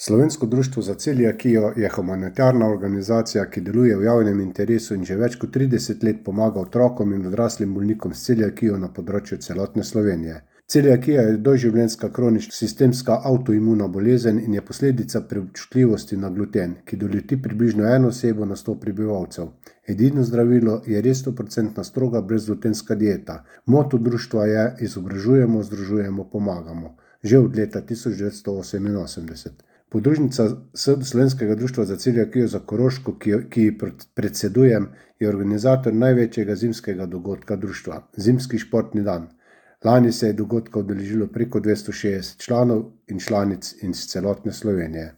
Slovensko društvo za celiakijo je humanitarna organizacija, ki deluje v javnem interesu in že več kot 30 let pomaga otrokom in odraslim bolnikom s celiakijo na področju celotne Slovenije. Celiakija je doživljenjska kronična sistemska avtoimuna bolezen in je posledica preobčutljivosti na gluten, ki doleti približno eno osebo na 100 prebivalcev. Edino zdravilo je res 100% stroga brezglutenska dieta. Moto društva je: izobražujemo, združujemo, pomagamo. Že od leta 1988. Podružnica Slovenskega društva za celiakijo za Koroško, ki ji predsedujem, je organizator največjega zimskega dogodka društva, Zimski športni dan. Lani se je dogodka udeležilo preko 260 članov in članic iz celotne Slovenije.